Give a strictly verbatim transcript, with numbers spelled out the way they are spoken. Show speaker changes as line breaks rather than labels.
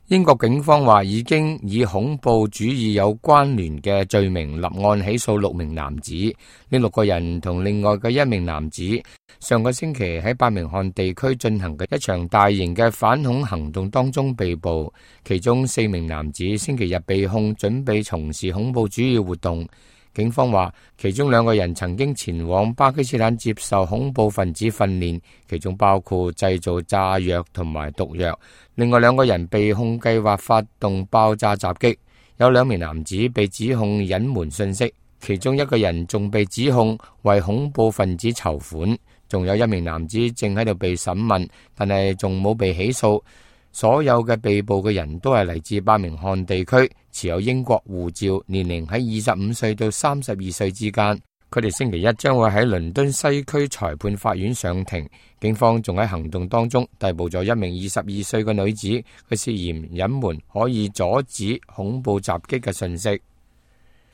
英國警方話已經以恐怖主義有關聯嘅罪名立案起訴六名男子，呢六個人同另外嘅一名男子上個星期喺伯明翰地區進行嘅一場大型嘅反恐行動當中被捕，其中四名男子星期日被控準備從事恐怖主義活動。警方話，其中兩個人曾經前往巴基斯坦接受恐怖分子訓練，其中包括製造炸藥同埋毒藥。另外兩個人被控計劃發動爆炸襲擊。有兩名男子被指控隱瞞信息，其中一個人仲被指控為恐怖分子籌款。仲有一名男子正喺度被審問，但係仲冇被起訴。所有嘅被捕嘅人都係嚟自伯明翰地區，持有英國護照，年齡喺二十五歲到三十二歲之間。佢哋星期一將會喺倫敦西區裁判法院上庭。警方仲喺行動當中逮捕咗一名二十二歲嘅女子，佢涉嫌隱瞞可以阻止恐怖襲擊嘅信息。